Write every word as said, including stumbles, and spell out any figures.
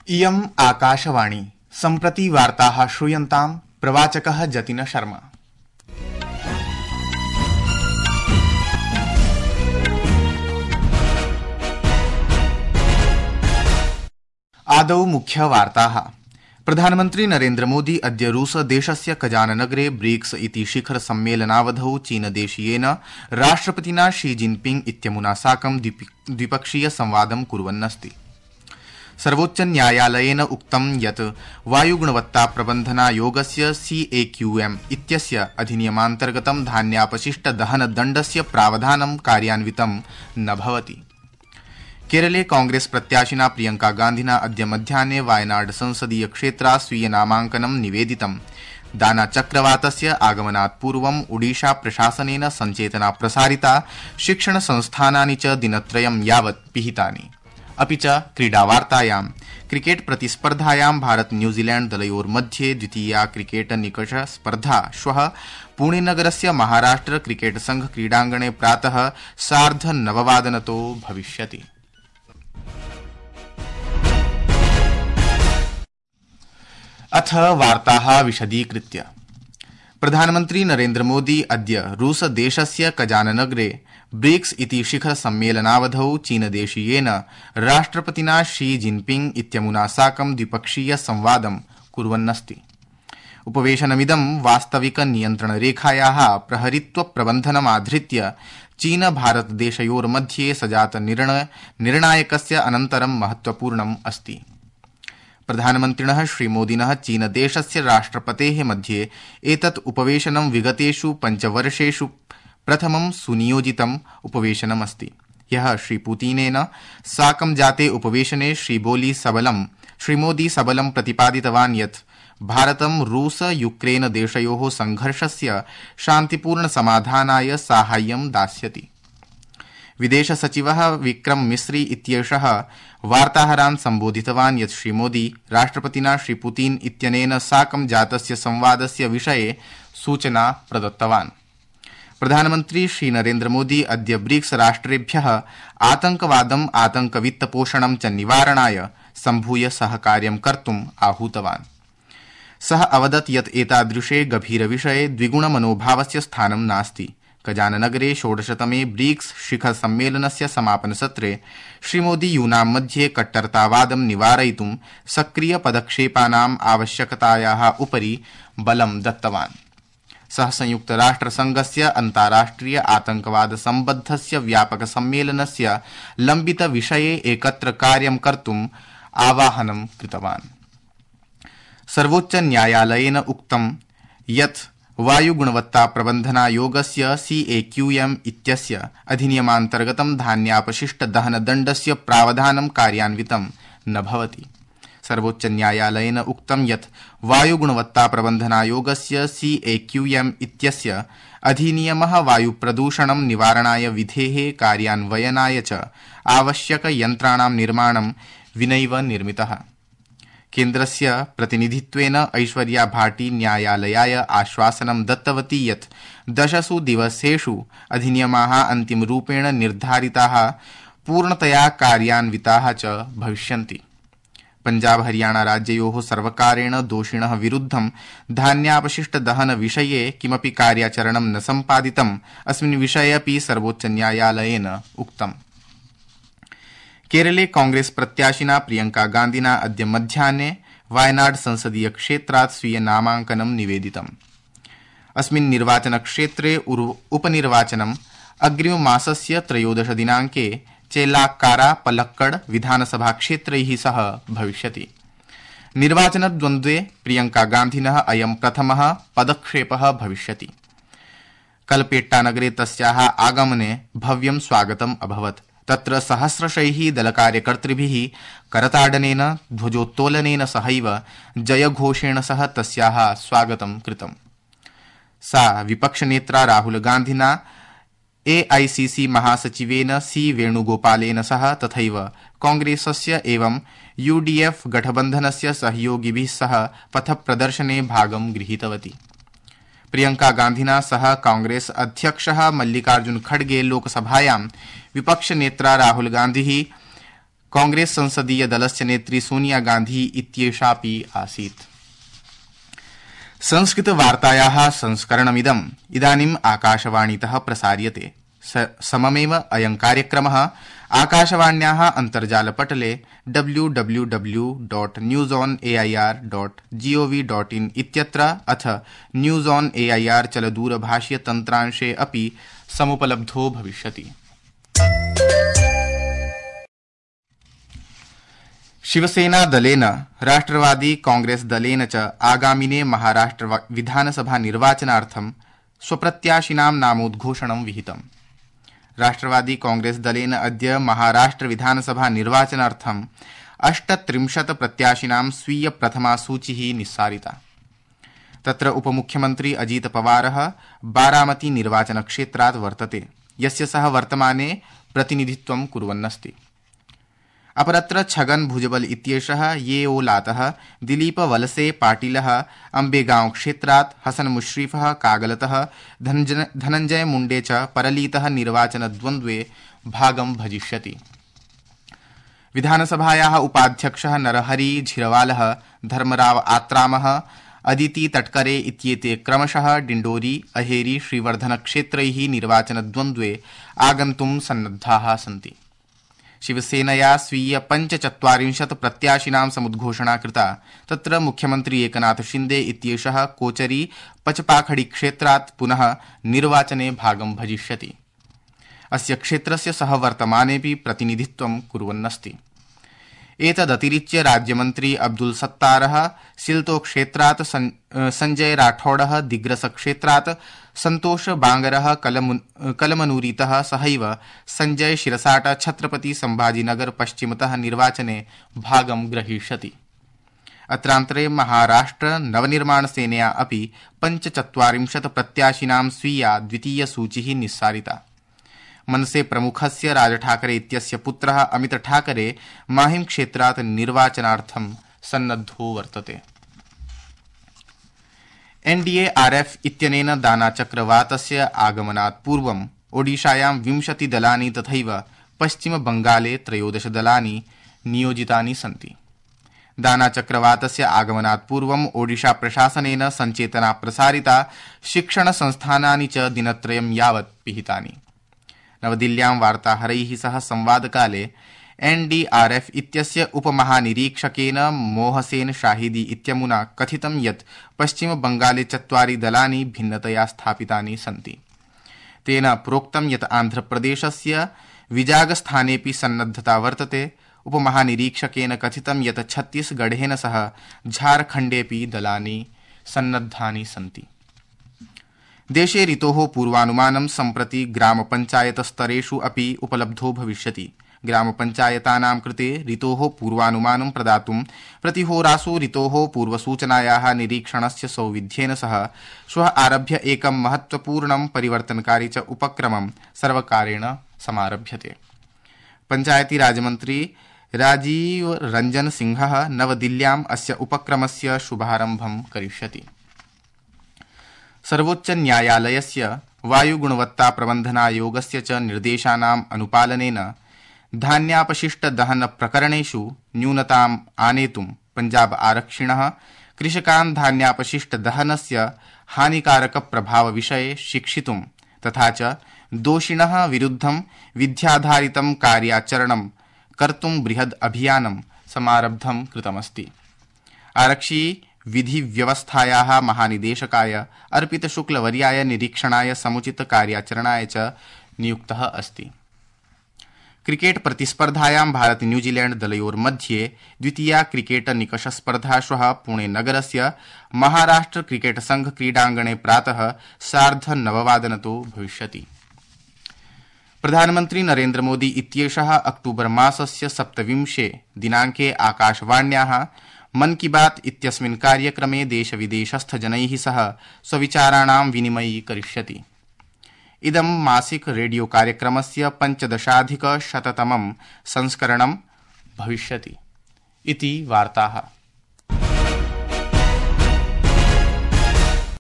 इयम् आकाशवाणी सम्प्रति वार्ताः श्रूयन्ताम् प्रवाचकः जतिन शर्मा। आदौ मुख्यवार्ताः। प्रधानमन्त्री नरेन्द्र मोदी अद्य रूस देशस्य कजान नगरे ब्रिक्स इति शिखर सम्मेलनावधौ चीनदेशीयेन राष्ट्रपतिना शी जिनपिंग इत्यमुना साकं द्विपक्षीय संवादं कुर्वन्नस्ति। सर्वोच्च न्यायालयेन उक्तं यत् वायुगुणवत्ता प्रबन्धनायोगस्य सीएक्यूएम इत्यस्य अधिनियमान्तर्गतं धान्यापशिष्ट दहन दण्डस्य प्रावधानं कार्यान्वितं न भवति। केरले कांग्रेस प्रत्याशिना प्रियंका गान्धिना अद्य मध्याह्ने वायनाड संसदीय क्षेत्रात् स्वीय नामाङ्कनं निवेदितम्। दाना चक्रवातस्य आगमनात् पूर्वम् ओडिशा प्रशासनेन सञ्चेतना प्रसारिता, शिक्षण संस्थानानि च दिनत्रयं यावत् पिहितानि। अपि च क्रीडावार्तायां क्रिकेट प्रतिस्पर्धायां भारत न्यूजीलैंड दलयोर्मध्ये द्वितीया क्रिकेट निकष स्पर्धा श्वः पुणेनगरस्य महाराष्ट्र क्रिकेट संघ क्रीडाङ्गणे प्रातः सार्ध नववादनतो भविष्यति। अथ वार्ताः विशदीकृत्य। प्रधानमन्त्री नरेन्द्र मोदी अद्य रूस देशस्य कजान नगरे ब्रिक्स इति शिखर सम्मेलनावधौ चीनदेशीयेन राष्ट्रपतिना शी जिनपिंग इत्यमुना साकं द्विपक्षीय संवादं कुर्वन्नस्ति। उपवेशनमिदं वास्तविक नियन्त्रणरेखायाः प्रहरित्व प्रबन्धनमाधृत्य चीन भारत देशयोर्मध्ये सजात निर्णायकस्य अनन्तरं महत्वपूर्णम् अस्ति। प्रधानमन्त्रिणः श्रीमोदिनः चीनदेशस्य राष्ट्रपतेः मध्ये एतत् उपवेशनं विगतेषु पञ्चवर्षेषु प्रथमं सुनियोजितम् उपवेशनमस्ति। ह्यः श्रीपुतिनेन साकं जाते उपवेशने श्रीबोली सबलं श्रीमोदी सबलं प्रतिपादितवान् यत् भारतं रूस यूक्रेन देशयोः संघर्षस्य शान्तिपूर्ण समाधानाय साहाय्यं दास्यति। विदेश सचिवः विक्रम मिस्री इत्येषः वार्ताहरान् सम्बोधितवान् यत् श्रीमोदी राष्ट्रपतिना श्रीपुतिन इत्यनेन साकं जातस्य संवादस्य विषये सूचना प्रदत्तवान्। प्रधानमन्त्री श्रीनरेन्द्र मोदी अद्य ब्रिक्स राष्ट्रेभ्यः आतंकवादम् आतंकवित्तपोषणं च निवारणाय सम्भूय सहकार्यं कर्तुम् आहूतवान्। सः अवदत् यत् एतादृशे गभीरविषये द्विगुणमनोभावस्य स्थानं नास्ति। कजाननगरे षोडशतमे ब्रिक्स शिखर सम्मेलनस्य समापनसत्रे श्रीमोदी यूनां मध्ये कट्टरतावादं निवारयितुं सक्रिय पदक्षेपानाम् आवश्यकतायाः उपरि बलं दत्तवान्। सः संयुक्तराष्ट्रसंघस्य अन्ताराष्ट्रिय आतंकवाद सम्बद्धस्य व्यापक सम्मेलनस्य लम्बित विषये एकत्र कार्यं कर्तुम् आवाहनं कृतवान्। सर्वोच्च न्यायालयेन उक्तं यत् वायुगुणवत्ता प्रबन्धनायोगस्य सीएक्यूएम इत्यस्य अधिनियमान्तर्गतं धान्यापशिष्ट दहन दण्डस्य प्रावधानं कार्यान्वितं न भवति। सर्वोच्च न्यायालयेन उक्तं यत् वायुगुणवत्ता प्रबन्धनायोगस्य सीएक्यूएम इत्यस्य अधिनियमः वायुप्रदूषणं निवारणाय विधेः कार्यान्वयनाय च आवश्यक यन्त्राणां निर्माणं विनैव निर्मितः। केन्द्रस्य प्रतिनिधित्वेन ऐश्वर्या भाटी न्यायालयाय आश्वासनं दत्तवती यत् दशसु दिवसेषु अधिनियमाः अन्तिमरूपेण निर्धारिताः पूर्णतया कार्यान्विताः च भविष्यन्ति। पञ्जाब हरियाणा राज्ययोः सर्वकारेण दोषिणः विरुद्धं धान्यापशिष्ट दहन विषये किमपि कार्याचरणं न सम्पादितम् अस्मिन् विषये अपि सर्वोच्च न्यायालयेन उक्तम्। केरले कांग्रेस प्रत्याशिना प्रियंका गान्धिना अद्य मध्याह्ने वायनाड संसदीय क्षेत्रात् स्वीय नामाङ्कनं निवेदितम्। अस्मिन् निर्वाचनक्षेत्रे उपनिर्वाचनम् अग्रिममासस्य त्रयोदश दिनाङ्के चेल्लाक्कारा पलक्कड विधानसभा क्षेत्रैः सह भविष्यति। निर्वाचनद्वन्द्वे प्रियंका गान्धिनः अयं प्रथमः पदक्षेपः भविष्यति। कलपेट्टानगरे तस्याः आगमने भव्यं स्वागतम् अभवत्। तत्र सहस्रशैः दलकार्यकर्तृभिः करताडनेन ध्वजोत्तोलनेन सहैव जयघोषेण सह तस्याः स्वागतं कृतम्। सा विपक्षनेत्रा राहुल गान्धिना एआईसीसी महासचिवेन सी वेणुगोपालेन सह तथैव कांग्रेसस्य एवं यूडीएफ गठबन्धनस्य सहयोगिभिः सह पथप्रदर्शने भागं गृहीतवती। प्रियंका गान्धिना सह कांग्रेस अध्यक्षः मल्लिकार्जुन खड़गे लोकसभायां विपक्ष नेत्रा राहुल गान्धी कांग्रेस संसदीय दलस्य नेत्री सोनिया गांधी इत्येषापि आसीत्। संस्कृत वार्तायाः संस्करणमिदम् इदानीम् आकाशवाणीतः प्रसार्यते। सममेव अयं कार्यक्रमः आकाशवाण्याः अन्तर्जालपटले W W W dot news on AIR dot gov dot in इत्यत्र अथ न्यूज ऑन एआईआर चलदूरभाषीय तन्त्रांशे अपि समुपलब्धो भविष्यति। शिवसेना दलेन राष्ट्रवादी कांग्रेस दलेन च आगामिने महाराष्ट्र विधानसभा निर्वाचनार्थं स्वप्रत्याशिनां नामोद्घोषणं विहितम्। राष्ट्रवादी कांग्रेस दलेन अद्य महाराष्ट्र विधानसभा निर्वाचनार्थं अष्टत्रिंशत् प्रत्याशिनां स्वीय प्रथमा सूचिः निस्सारिता। तत्र उपमुख्यमन्त्री अजित पवारः बारामती निर्वाचनक्षेत्रात् वर्तते, यस्य सः वर्तमाने प्रतिनिधित्वं कुर्वन्नस्ति। अपरत्र छगन भुजबल इत्येषः येओलातः, दिलीप वलसे पाटिलः अम्बेगांव क्षेत्रात्, हसन मुश्रीफः कागलतः, धनंजय मुंडे च परलीतः निर्वाचनद्वन्द्वे भागं भजिष्यति। विधानसभायाः उपाध्यक्षः नरहरी झिरवालः, धर्मराव आत्रामः, अदिति तटकरे इत्येते क्रमशः डिण्डोरी, अहेरी, श्रीवर्धन क्षेत्रैः निर्वाचनद्वन्द्वे आगन्तुं सन्नद्धाः सन्ति। शिवसेनया स्वीय पञ्चचत्वारिंशत् प्रत्याशिनां समुद्घोषणा कृता। तत्र मुख्यमन्त्री एकनाथ शिंदे इत्येषः कोचरी पचपाखड़ी क्षेत्रात् पुनः निर्वाचने भागं भजिष्यति। अस्य क्षेत्रस्य सः वर्तमानेऽपि प्रतिनिधित्वं कुर्वन्नस्ति। एतदतिरिच्य राज्यमन्त्री अब्दुल सत्तारः सिल्तो क्षेत्रात्, संजय राठौडः दिग्रस क्षेत्रात्, संतोष बांगरः कलमनूरीतः सहैव संजय शिरसाट छत्रपति संभाजीनगर पश्चिमतः निर्वाचने भागं ग्रहीष्यति। अत्रान्तरे महाराष्ट्र नवनिर्माण सेनया अपि पञ्चचत्वारिंशत् प्रत्याशिनां स्वीया द्वितीय सूचिः निस्सारिता। मनसे प्रमुखस्य राज ठाकरे इत्यस्य पुत्रः अमित ठाकरे माहिम क्षेत्रात् निर्वाचनार्थं सन्नद्धो वर्तते। एनडीएआरएफ इत्यनेन दानाचक्रवातस्य आगमनात् पूर्वम् ओडिशायां विंशति दलानि तथैव पश्चिम बंगाले त्रयोदश दलानि नियोजितानि सन्ति। दानाचक्रवातस्य आगमनात् पूर्वम् ओडिशा प्रशासनेन सञ्चेतना प्रसारिता, शिक्षण संस्थानानि च दिनत्रयं यावत् पिहितानि। नवदिल्ल्यां वार्ताहरैः सह संवादकाले एनडीआरएफ इत्यस्य उपमहानिरीक्षकेन मोहसेन शाहिदी इत्यमुना कथितं यत् पश्चिम बंगाले चत्वारि दलानि भिन्नतया स्थापितानि सन्ति। तेन प्रोक्तं यत् आन्ध्रप्रदेशस्य विजागस्थानेऽपि सन्नद्धता वर्तते। उपमहानिरीक्षकेन कथितं यत् छत्तीसगढ़ेन सह झारखण्डेऽपि दलानि सन्नद्धानि सन्ति। देशे ऋतोः पूर्वानुमानं सम्प्रति ग्रामपञ्चायत स्तरेषु अपि उपलब्धो भविष्यति। ग्रामपञ्चायतानां कृते ऋतोः पूर्वानुमानं प्रदातुं प्रतिहोरासु ऋतोः पूर्वसूचनायाः निरीक्षणस्य सौविध्येन सह श्वः आरभ्य एकं महत्वपूर्णं परिवर्तनकारी च उपक्रमं सर्वकारेण समारभ्यते। पञ्चायती राजमन्त्री राजीव रंजन सिंहः नवदिल्ल्याम् अस्य उपक्रमस्य शुभारम्भं करिष्यति। सर्वोच्च न्यायालयस्य वायुगुणवत्ता प्रबन्धनायोगस्य च निर्देशानाम् अनुपालनेन धान्यापशिष्ट दहन प्रकरणेषु न्यूनताम् आनेतुं पंजाब आरक्षिणः कृषकान् धान्यापशिष्ट दहनस्य हानिकारक प्रभाव विषये शिक्षितुं तथा च दोषिणः विरुद्धं विध्याधारितं कार्याचरणं कर्तुं बृहद् अभियानं समारब्धं कृतमस्ति। आरक्षी विधि व्यवस्थायाः महानिदेशकाय अर्पित शुक्लवर्याय निरीक्षणाय समुचित कार्याचरणाय च नियुक्तः अस्ति। क्रिकेट प्रतिस्पर्धायां भारत न्यूजीलैंड दलयोर्मध्ये द्वितीया क्रिकेट निकष स्पर्धा श्वः पुणे नगरस्य महाराष्ट्र क्रिकेट संघ क्रीडांगणे प्रातः सार्ध नववादनतो भविष्यति। प्रधानमन्त्री नरेन्द्र मोदी इत्येषः अक्टूबर मासस्य सप्तविंशे दिनाङ्के आकाशवाण्याः मन की बात इत्यस्मिन् कार्यक्रमे देशविदेशस्थ जनैः सह स्वविचाराणां विनिमयी करिष्यति। इदं मासिक रेडियो कार्यक्रमस्य पञ्चदशाधिक शततमं संस्करणं भविष्यति इति वार्ताः।